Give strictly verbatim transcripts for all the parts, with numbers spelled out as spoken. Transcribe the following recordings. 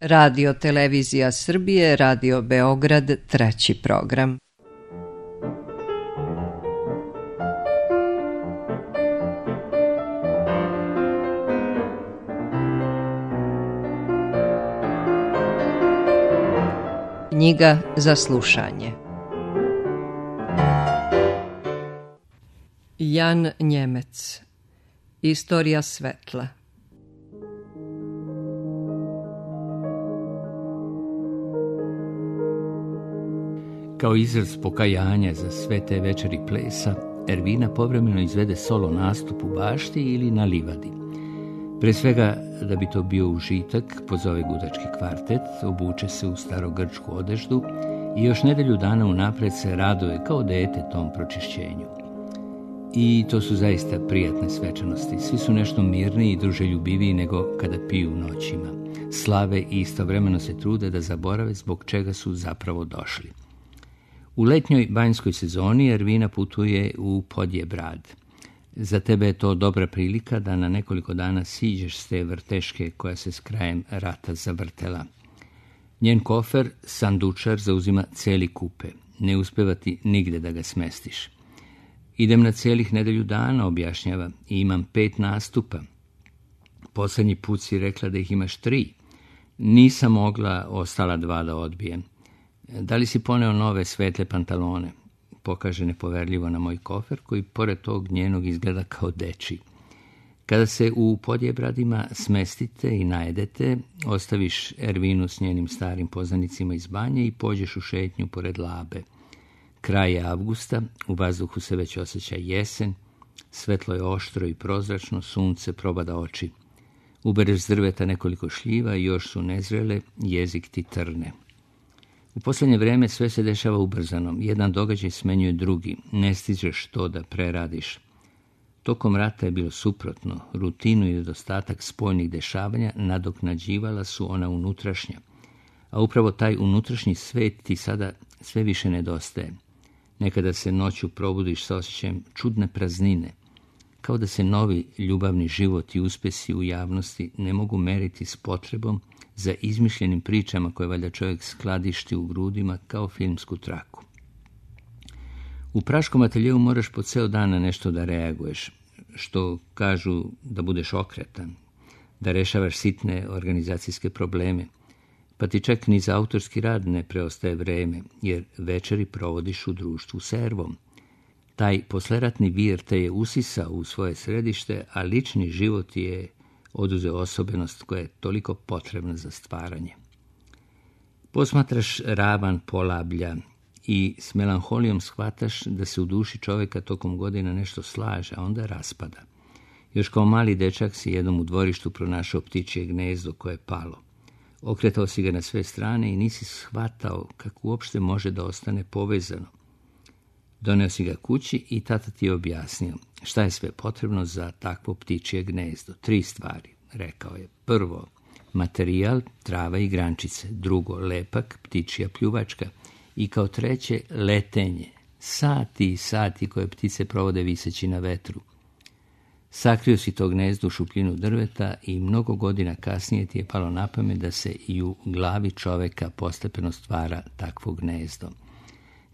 Radio Televizija Srbije, Radio Beograd, treći program. Knjiga za slušanje. Jan Njemec. Istorija svetla. Kao izraz pokajanja za sve te večeri plesa, Ervina povremeno izvede solo nastup u bašti ili na livadi. Pre svega, da bi to bio užitak, pozove gudački kvartet, obuče se u starogrčku odeždu i još nedelju dana unapred se raduje kao dete tom pročišćenju. I to su zaista prijatne svečanosti. Svi su nešto mirniji i druželjubiviji nego kada piju noćima. Slave i istovremeno se trude da zaborave zbog čega su zapravo došli. U letnjoj banjskoj sezoni Ervina putuje u Podjebrad. Za tebe je to dobra prilika da na nekoliko dana siđeš s te vrteške koja se s krajem rata zavrtela. Njen kofer, sandučar, zauzima cijeli kupe. Ne uspeva ti nigde da ga smestiš. Idem na cijelih nedelju dana, objašnjava, i imam pet nastupa. Poslednji put si rekla da ih imaš tri. Nisam mogla ostala dva da odbijem. Da li si poneo nove svetle pantalone? Pokaže nepoverljivo na moj kofer, koji pored tog njenog izgleda kao dečiji. Kada se u Podjebradima smestite i najedete, ostaviš Ervinu s njenim starim poznanicima iz banje i pođeš u šetnju pored Labe. Kraj je avgusta, u vazduhu se već osjeća jesen, svetlo je oštro i prozračno, sunce probada oči. Ubereš s drveta nekoliko šljiva i još su nezrele, jezik ti trne. U posljednje vreme sve se dešava ubrzano, jedan događaj smenjuje drugi, ne stižeš to da preradiš. Tokom rata je bilo suprotno, rutinu i nedostatak spoljnih dešavanja nadoknađivala su ona unutrašnja, a upravo taj unutrašnji svet ti sada sve više nedostaje. Nekada se noću probudiš sa osjećajem čudne praznine, kao da se novi ljubavni život i uspesi u javnosti ne mogu meriti s potrebom za izmišljenim pričama koje valjda čovjek skladišti u grudima kao filmsku traku. U praškom ateljeu moraš po ceo dan na nešto da reaguješ, što kažu da budeš okretan, da rešavaš sitne organizacijske probleme, pa ti čak ni za autorski rad ne preostaje vreme, jer večeri provodiš u društvu s Ervom. Taj posleratni vir te je usisao u svoje središte, a lični život je oduzeo osobenost koja je toliko potrebna za stvaranje. Posmatraš ravan Polablja i s melanholijom shvataš da se u duši čovjeka tokom godina nešto slaže, a onda raspada. Još kao mali dečak si jednom u dvorištu pronašao ptičje gnezdo koje je palo. Okretao si ga na sve strane i nisi shvatao kako uopšte može da ostane povezano. Doneo si ga kući i tata ti je objasnio šta je sve potrebno za takvo ptičje gnezdo. Tri stvari, rekao je. Prvo, materijal, trava i grančice. Drugo, lepak, ptičja pljuvačka. I kao treće, letenje. Sati i sati koje ptice provode viseći na vetru. Sakrio si to gnezdo u šupljinu drveta i mnogo godina kasnije ti je palo na pamet da se i u glavi čoveka postepeno stvara takvo gnezdo.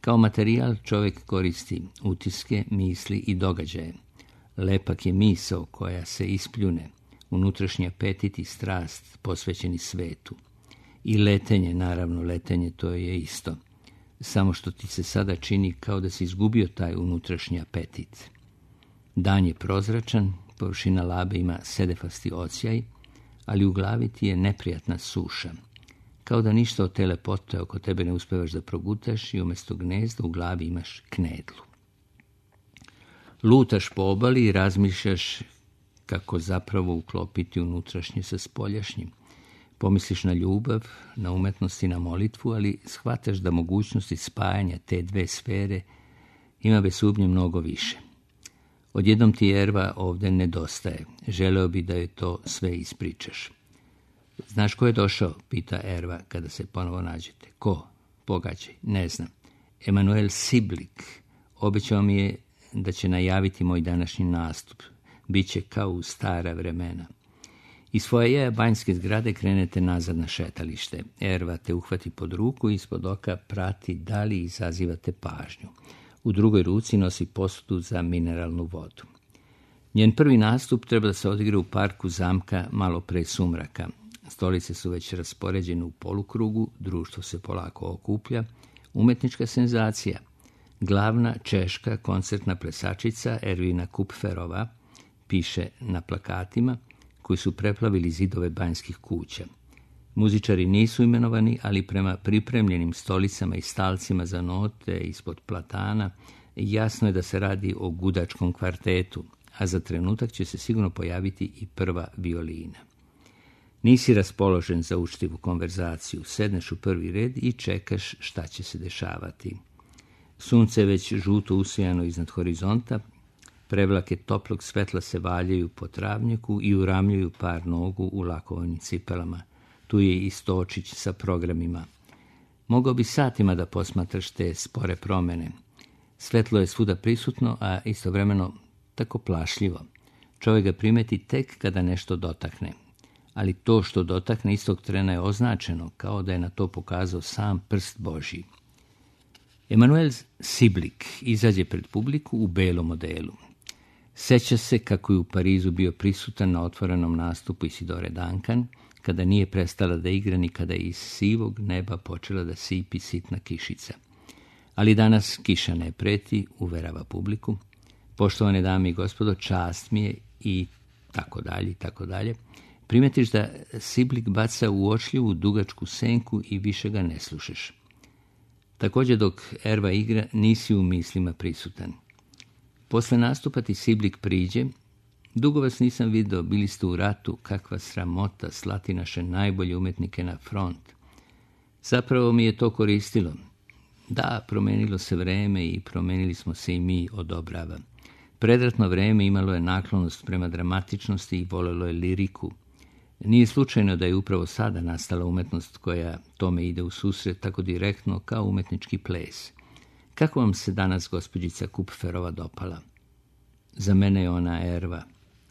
Kao materijal čovjek koristi utiske, misli i događaje. Lepak je misao koja se ispljune, unutrašnji apetit i strast posvećeni svetu. I letenje, naravno letenje, to je isto. Samo što ti se sada čini kao da si izgubio taj unutrašnji apetit. Dan je prozračan, površina Labe ima sedefasti odsjaj, ali u glavi ti je neprijatna suša. Kao da ništa od te lepote oko tebe ne uspevaš da progutaš i umjesto gnezda u glavi imaš knedlu. Lutaš po obali i razmišljaš kako zapravo uklopiti unutrašnje sa spoljašnjim. Pomisliš na ljubav, na umetnost i na molitvu, ali shvataš da mogućnosti spajanja te dve sfere ima bez sumnje mnogo više. Odjednom ti Erva ovdje nedostaje. Želeo bi da joj to sve ispričaš. Znaš ko je došao? Pita Erva kada se ponovo nađete. Ko? Pogađaj. Ne znam. Emanuel Siblik. Obećao mi je da će najaviti moj današnji nastup. Biće kao u stara vremena. Iz foajeja banjske zgrade krenete nazad na šetalište. Erva te uhvati pod ruku i ispod oka prati da li izazivate pažnju. U drugoj ruci nosi posudu za mineralnu vodu. Njen prvi nastup treba da se odigra u parku zamka malo pre sumraka. Stolice su već raspoređene u polukrugu, društvo se polako okuplja. Umetnička senzacija. Glavna češka koncertna plesačica Ervina Kupferova, piše na plakatima koji su preplavili zidove banjskih kuća. Muzičari nisu imenovani, ali prema pripremljenim stolicama i stalcima za note ispod platana jasno je da se radi o gudačkom kvartetu, a za trenutak će se sigurno pojaviti i prva violina. Nisi raspoložen za učtivu konverzaciju, sedneš u prvi red i čekaš šta će se dešavati. Sunce je već žuto usijano iznad horizonta, prevlake toplog svetla se valjaju po travnjaku i uramljuju par nogu u lakovanim cipelama. Tu je i Stočić sa programima. Mogao bi satima da posmatraš te spore promene. Svetlo je svuda prisutno, a istovremeno tako plašljivo. Čovjek ga primeti tek kada nešto dotakne. Ali to što dotakne istog trena je označeno, kao da je na to pokazao sam prst Božji. Emanuel Siblik izađe pred publiku u belom modelu. Seća se kako je u Parizu bio prisutan na otvorenom nastupu Isidore Duncan, kada nije prestala da igra ni kada je iz sivog neba počela da sipi sitna kišica. Ali danas kiša ne preti, uverava publiku. Poštovane dame i gospodo, čast mi je i tako dalje, i tako dalje. Primetiš da Siblik baca uočljivu dugačku senku i više ga ne slušaš. Također dok Erva igra, nisi u mislima prisutan. Posle nastupa ti Siblik priđe. Dugo vas nisam vidio, bili ste u ratu, kakva sramota slati naše najbolje umetnike na front. Zapravo mi je to koristilo. Da, promenilo se vreme i promenili smo se i mi, odobrava. Predratno vreme imalo je naklonost prema dramatičnosti i volelo je liriku. Nije slučajno da je upravo sada nastala umetnost koja tome ide u susret tako direktno kao umetnički ples. Kako vam se danas gospođica Kupferova dopala? Za mene je ona Erva.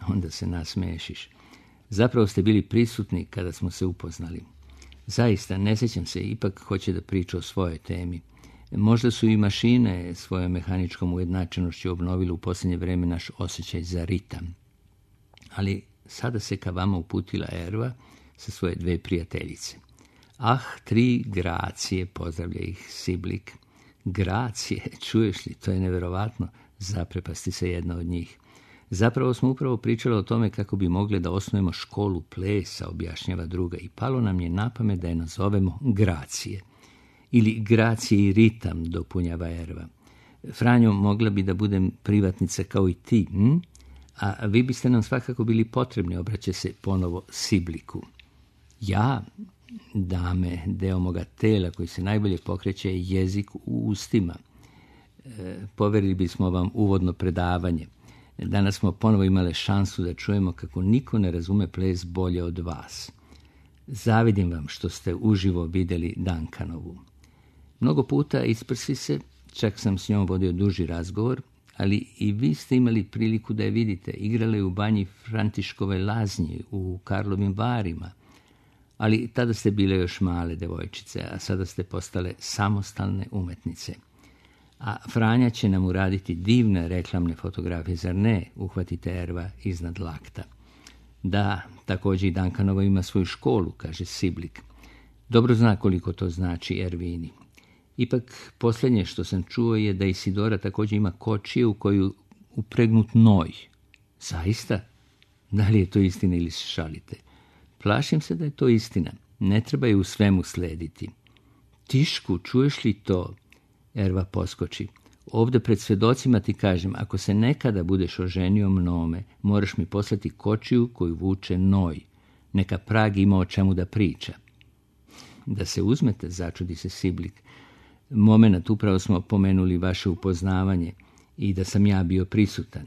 Onda se nasmešiš. Zapravo ste bili prisutni kada smo se upoznali. Zaista, ne sjećam se, ipak hoće da priča o svojoj temi. Možda su i mašine svojom mehaničkom ujednačenošću obnovili u posljednje vreme naš osjećaj za ritam. Ali sada se ka vama uputila Erva sa svoje dve prijateljice. Ah, tri gracije, pozdravlja ih Siblik. Gracije, čuješ li, to je neverovatno, zaprepasti se jedna od njih. Zapravo smo upravo pričali o tome kako bi mogli da osnujemo školu plesa, objašnjava druga, i palo nam je na pamet da je nazovemo Gracije. Ili Gracije i ritam, dopunjava Erva. Franjo, mogla bi da budem privatnica kao i ti, hm? A vi biste nam svakako bili potrebni, obraća se ponovo Sibliku. Ja, dame, deo moga tela koji se najbolje pokreće je jezik u ustima. E, poverili bismo vam uvodno predavanje. Danas smo ponovo imali šansu da čujemo kako niko ne razume ples bolje od vas. Zavidim vam što ste uživo vidjeli Duncanovu. Mnogo puta isprsi se, čak sam s njom vodio duži razgovor, ali i vi ste imali priliku da je vidite. Igrala je u banji Františkove Laznji, u Karlovim Varima, ali tada ste bile još male devojčice, a sada ste postale samostalne umetnice. A Franja će nam uraditi divne reklamne fotografije, zar ne? Uhvatite Erva iznad lakta. Da, također i Duncanova ima svoju školu, kaže Siblik. Dobro zna koliko to znači Ervini. Ipak, posljednje što sam čuo je da Isidora također ima kočije u koju upregnut noj. Zaista? Da li je to istina ili se šalite? Plašim se da je to istina. Ne treba je u svemu slediti. Tišku, čuješ li to? Erva poskoči. Ovdje pred svjedocima ti kažem, ako se nekada budeš oženio mnome, moraš mi poslati kočiju koju vuče noj. Neka Prag ima o čemu da priča. Da se uzmete, začudi se Siblik. Momenat, upravo smo pomenuli vaše upoznavanje i da sam ja bio prisutan.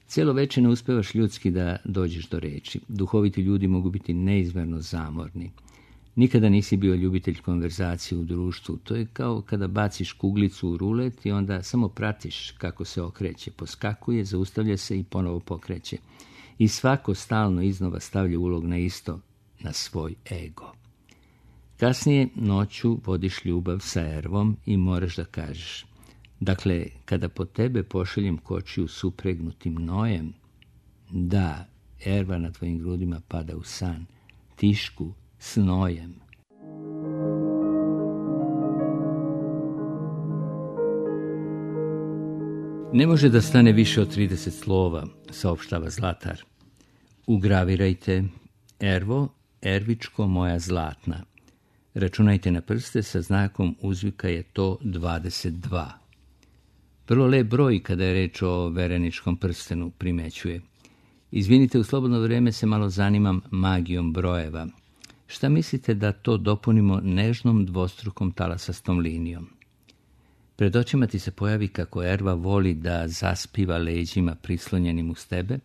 Cijelo večer ne uspevaš ljudski da dođeš do reči. Duhoviti ljudi mogu biti neizmjerno zamorni. Nikada nisi bio ljubitelj konverzacije u društvu. To je kao kada baciš kuglicu u rulet i onda samo pratiš kako se okreće. Poskakuje, zaustavlja se i ponovo pokreće. i svako stalno iznova stavlja ulog na isto, na svoj ego. Kasnije noću vodiš ljubav sa Ervom i moraš da kažeš: dakle, kada po tebe pošaljem kočiju supregnutim nojem, da, Erva na tvojim grudima pada u san, tišku s nojem. Ne može da stane više od trideset slova, saopštava Zlatar. Ugravirajte: Ervo, Ervičko moja zlatna. Računajte na prste, sa znakom uzvika je to dvadeset dva. Vrlo lep broj kada je reč o vereničkom prstenu, primećuje. Izvinite, u slobodno vrijeme se malo zanimam magijom brojeva. Šta mislite da to dopunimo nežnom dvostrukom talasastom linijom? Pred očima ti se pojavi kako Erva voli da zaspiva leđima prislonjenim uz tebe,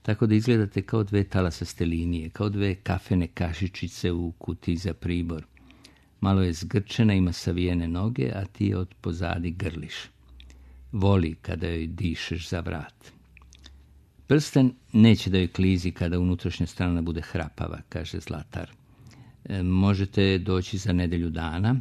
tako da izgledate kao dve talasaste linije, kao dve kafene kašičice u kutiji za pribor. Malo je zgrčena, ima savijene noge, a ti je od pozadi grliš. Voli kada joj dišeš za vrat. Prsten neće da joj klizi kada unutrašnja strana bude hrapava, kaže Zlatar. E, možete doći za nedelju dana.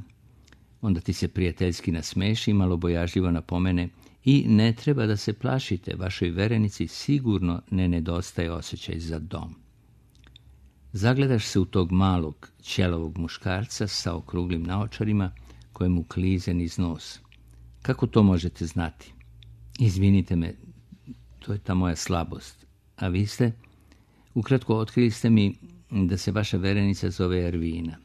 Onda ti se prijateljski nasmeši i malo bojažljivo napomene: i ne treba da se plašite, vašoj verenici sigurno ne nedostaje osjećaj za dom. Zagledaš se u tog malog, ćelavog muškarca sa okruglim naočarima kojemu klize niz nos. Kako to možete znati? Izvinite me, to je ta moja slabost. A vi ste? Ukratko, otkrili ste mi da se vaša verenica zove Ervina.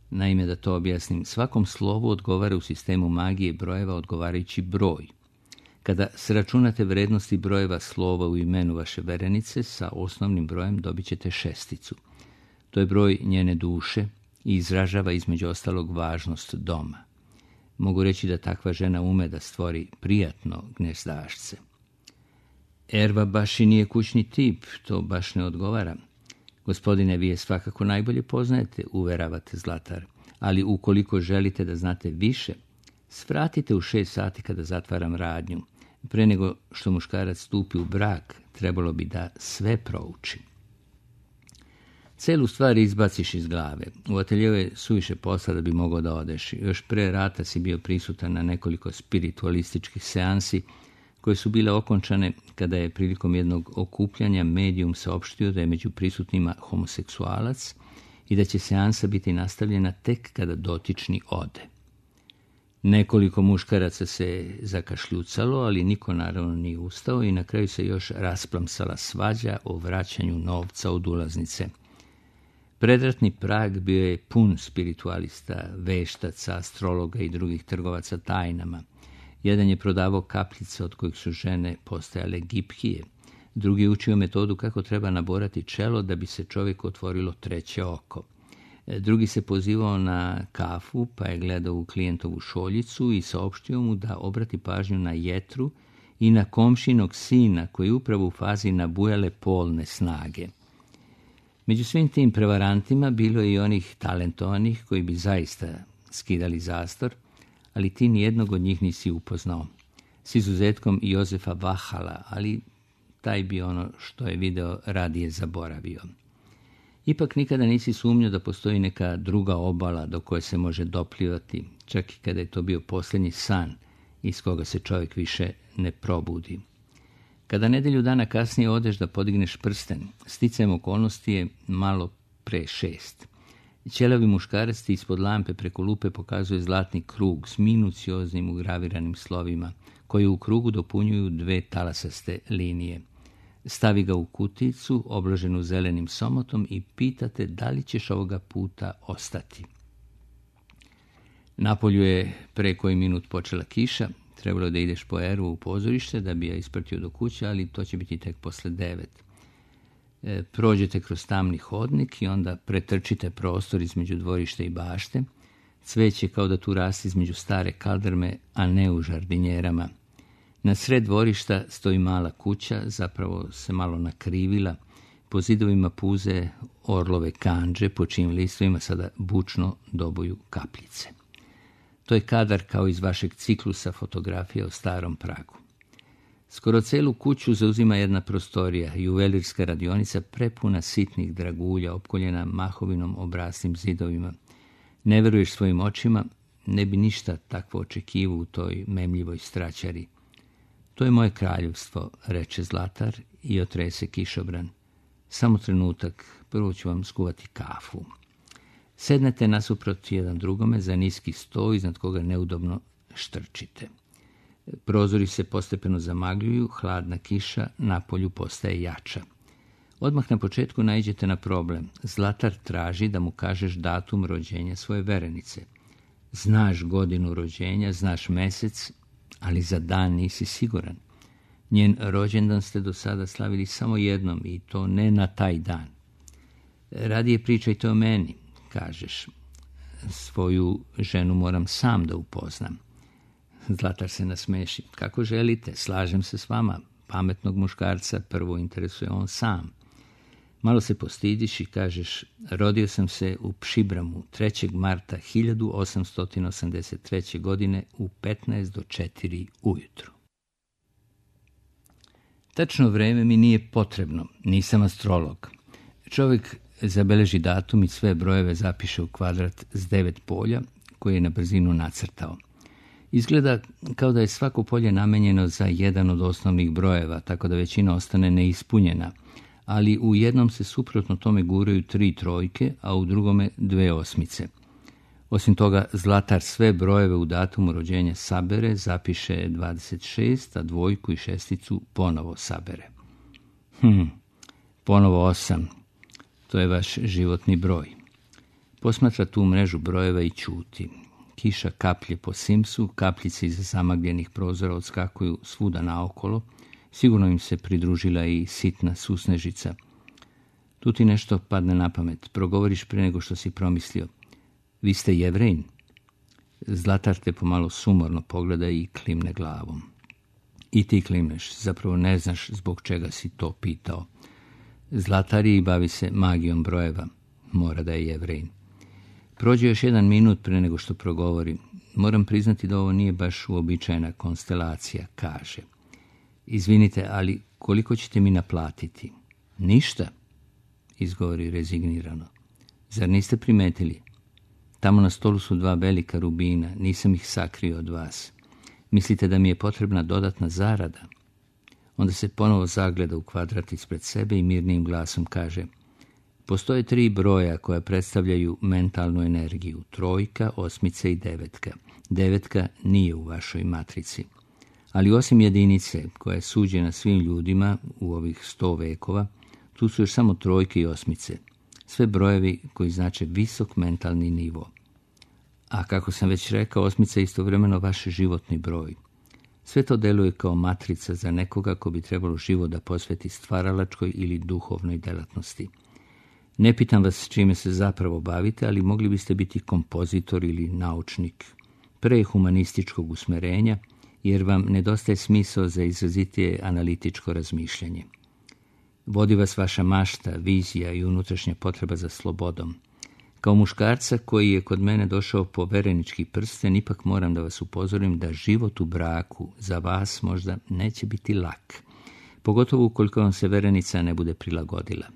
Naime, da to objasnim, svakom slovu odgovara u sistemu magije brojeva odgovarajući broj. Kada sračunate vrednosti brojeva slova u imenu vaše verenice, sa osnovnim brojem dobit ćete šesticu. To je broj njene duše i izražava između ostalog važnost doma. Mogu reći da takva žena ume da stvori prijatno gnezdašce. Erva baš i nije kućni tip, to baš ne odgovara. Gospodine, vi je svakako najbolje poznajete, uveravate Zlatar, ali ukoliko želite da znate više, svratite u šest sati kada zatvaram radnju. Pre nego što muškarac stupi u brak, trebalo bi da sve prouči. Celu stvar izbaciš iz glave. U ateljeu je suviše posla da bi mogao da odeš. Još pre rata si bio prisutan na nekoliko spiritualističkih seansi koje su bile okončane kada je prilikom jednog okupljanja medijum saopštio da je među prisutnima homoseksualac i da će seansa biti nastavljena tek kada dotični ode. Nekoliko muškaraca se zakašljucalo, ali niko naravno nije ustao i na kraju se još rasplamsala svađa o vraćanju novca od ulaznice. Predratni Prag bio je pun spiritualista, veštaca, astrologa i drugih trgovaca tajnama. Jedan je prodavao kapljice od kojih su žene postajale gipkije. Drugi je učio metodu kako treba naborati čelo da bi se čovjeku otvorilo treće oko. Drugi se pozivao na kafu, pa je gledao u klijentovu šoljicu i saopštio mu da obrati pažnju na jetru i na komšinog sina koji je upravo u fazi nabujale polne snage. Među svim tim prevarantima bilo je i onih talentovanih koji bi zaista skidali zastor, ali ti nijednog od njih nisi upoznao. S izuzetkom Jozefa Vahala, ali taj bi ono što je video radije zaboravio. Ipak nikada nisi sumnjao da postoji neka druga obala do koje se može doplivati, čak i kada je to bio posljednji san iz koga se čovjek više ne probudi. Kada nedelju dana kasnije odeš da podigneš prsten, sticajem okolnosti je malo pre šest. Ćelavi muškarac ti ispod lampe preko lupe pokazuje zlatni krug s minucioznim ugraviranim slovima, koji u krugu dopunjuju dve talasaste linije. Stavi ga u kuticu, obloženu zelenim somotom i pitate da li ćeš ovoga puta ostati. Napolju je pre koji minut počela kiša, trebalo da ideš po Ervu u pozorište da bi ja isprtio do kuće, ali to će biti tek posle devet. E, prođete kroz tamni hodnik i onda pretrčite prostor između dvorišta i bašte. Cveće kao da tu rasti između stare kaldrme, a ne u žardinjerama. Na sred dvorišta stoji mala kuća, zapravo se malo nakrivila. Po zidovima puze orlove kandže, po čijim listovima sada bučno dobuju kapljice. To je kadar kao iz vašeg ciklusa fotografije o starom Pragu. Skoro celu kuću zauzima jedna prostorija, juvelirska radionica prepuna sitnih dragulja, opkoljena mahovinom obraslim zidovima. Ne veruješ svojim očima, ne bi ništa takvo očekivao u toj memljivoj straćari. To je moje kraljevstvo, reče Zlatar i otrese kišobran. Samo trenutak, prvo ću vam skuvati kafu. Sednete nasuprot jedan drugome za niski sto iznad koga neudobno štrčite. Prozori se postepeno zamagljuju, hladna kiša napolju postaje jača. Odmah na početku naiđete na problem. Zlatar traži da mu kažeš datum rođenja svoje verenice. Znaš godinu rođenja, znaš mesec, ali za dan nisi siguran. Njen rođendan ste do sada slavili samo jednom i to ne na taj dan. Radije pričajte o meni, kažeš. Svoju ženu moram sam da upoznam. Zlatar se nasmeši. Kako želite, slažem se s vama. Pametnog muškarca prvo interesuje on sam. Malo se postidiš i kažeš, rodio sam se u Pšibramu trećeg marta hiljadu osamsto osamdeset treće. godine u petnaest do četiri ujutru. Tačno vreme mi nije potrebno, nisam astrolog. Čovjek zabeleži datum i sve brojeve zapiše u kvadrat s devet polja koje je na brzinu nacrtao. Izgleda kao da je svako polje namenjeno za jedan od osnovnih brojeva, tako da većina ostane neispunjena, ali u jednom se suprotno tome guraju tri trojke, a u drugome dve osmice. Osim toga, Zlatar sve brojeve u datumu rođenja sabere, zapiše dvadeset šest, a dvojku i šesticu ponovo sabere. Hm, ponovo osam. To je vaš životni broj. Posmatra tu mrežu brojeva i ćuti. Kiša kaplje po simsu, kapljice iza zamagljenih prozora odskakuju svuda naokolo. Sigurno im se pridružila i sitna susnežica. Tu ti nešto padne na pamet. Progovoriš pre nego što si promislio. Vi ste Jevrejin? Zlatar te pomalo sumorno pogleda i klimne glavom. I ti klimneš, zapravo ne znaš zbog čega si to pitao. Zlatar i bavi se magijom brojeva. Mora da je Jevrejin. Prođe još jedan minut pre nego što progovori. Moram priznati da ovo nije baš uobičajena konstelacija, kaže. Izvinite, ali koliko ćete mi naplatiti? Ništa, izgovori rezignirano. Zar niste primetili? Tamo na stolu su dva velika rubina, nisam ih sakrio od vas. Mislite da mi je potrebna dodatna zarada? Onda se ponovo zagleda u kvadrat ispred sebe i mirnim glasom kaže: postoje tri broja koja predstavljaju mentalnu energiju, trojka, osmica i devetka. Devetka nije u vašoj matrici. Ali osim jedinice koja je suđena svim ljudima u ovih sto vekova, tu su još samo trojke i osmice. Sve brojevi koji znače visok mentalni nivo. A kako sam već rekao, osmica je istovremeno vaš životni broj. Sve to deluje kao matrica za nekoga ko bi trebalo život da posveti stvaralačkoj ili duhovnoj delatnosti. Ne pitam vas čime se zapravo bavite, ali mogli biste biti kompozitor ili naučnik pre humanističkog usmerenja, jer vam nedostaje smisao za izrazitije analitičko razmišljanje. Vodi vas vaša mašta, vizija i unutrašnja potreba za slobodom. Kao muškarca koji je kod mene došao po verenički prsten, ipak moram da vas upozorim da život u braku za vas možda neće biti lak, pogotovo ukoliko vam se verenica ne bude prilagodila.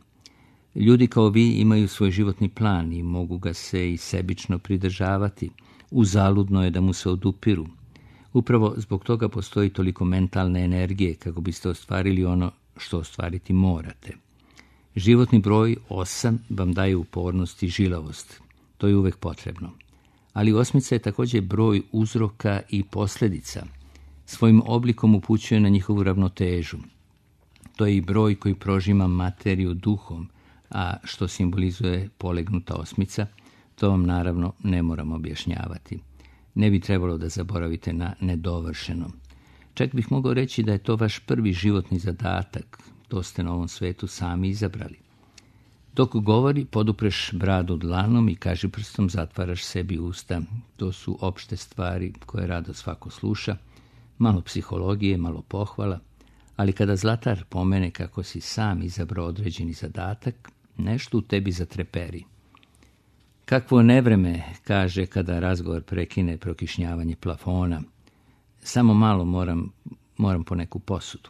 Ljudi kao vi imaju svoj životni plan i mogu ga se i sebično pridržavati. Uzaludno je da mu se odupiru. Upravo zbog toga postoji toliko mentalne energije kako biste ostvarili ono što ostvariti morate. Životni broj osam vam daje upornost i žilavost. To je uvek potrebno. Ali osmica je također broj uzroka i posljedica. Svojim oblikom upućuje na njihovu ravnotežu. To je i broj koji prožima materiju duhom, a što simbolizuje polegnuta osmica, to vam naravno ne moram objašnjavati. Ne bi trebalo da zaboravite na nedovršeno. Čak bih mogao reći da je to vaš prvi životni zadatak. To ste na ovom svetu sami izabrali. Dok govori, podupreš bradu dlanom i kaži prstom zatvaraš sebi usta. To su opšte stvari koje rado svako sluša. Malo psihologije, malo pohvala. Ali kada Zlatar pomene kako si sam izabrao određeni zadatak, nešto u tebi zatreperi. Kakvo nevreme, kaže kada razgovor prekine prokišnjavanje plafona. Samo malo moram moram po neku posudu.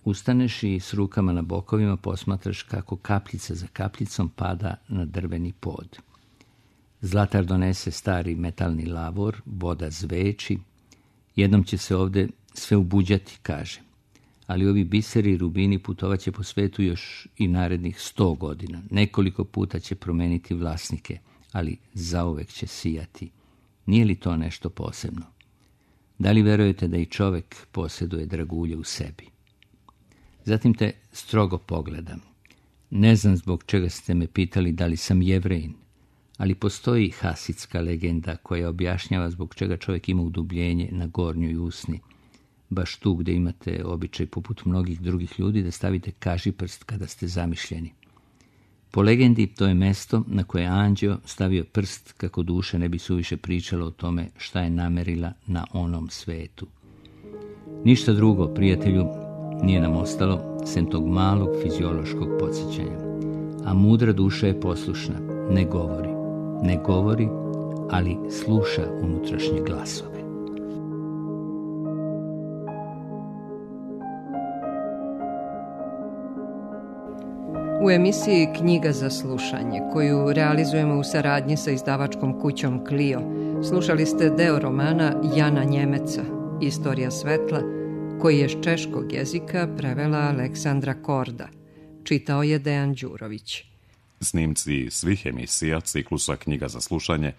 Ustaneš i s rukama na bokovima posmatraš kako kapljica za kapljicom pada na drveni pod. Zlatar donese stari metalni lavor, voda zveči. Jednom će se ovde sve ubuđati, kaže. Ali ovi biseri i rubini putovaće po svetu još i narednih sto godina. Nekoliko puta će promeniti vlasnike, ali zauvek će sijati. Nije li to nešto posebno? Da li verujete da i čovek posjeduje dragulje u sebi? Zatim te strogo pogledam. Ne znam zbog čega ste me pitali da li sam Jevrejin, ali postoji hasidska legenda koja objašnjava zbog čega čovjek ima udubljenje na gornjoj usni, baš tu gdje imate običaj poput mnogih drugih ljudi da stavite kažiprst kada ste zamišljeni. Po legendi to je mesto na koje je anđeo stavio prst kako duša ne bi suviše pričala o tome šta je namerila na onom svetu. Ništa drugo, prijatelju, nije nam ostalo sem tog malog fiziološkog podsjećanja. A mudra duša je poslušna, ne govori. Ne govori, ali sluša unutrašnje glasove. U emisiji Knjiga za slušanje, koju realizujemo u saradnji sa izdavačkom kućom Clio, slušali ste deo romana Jana Njemeca, Istorija svetla, koji je s češkog jezika prevela Aleksandra Korda. Čitao je Dejan Đurović. Snimci svih emisija ciklusa Knjiga za slušanje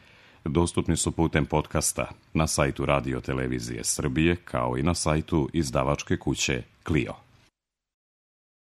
dostupni su putem podcasta na sajtu Radio Televizije Srbije kao i na sajtu izdavačke kuće Clio.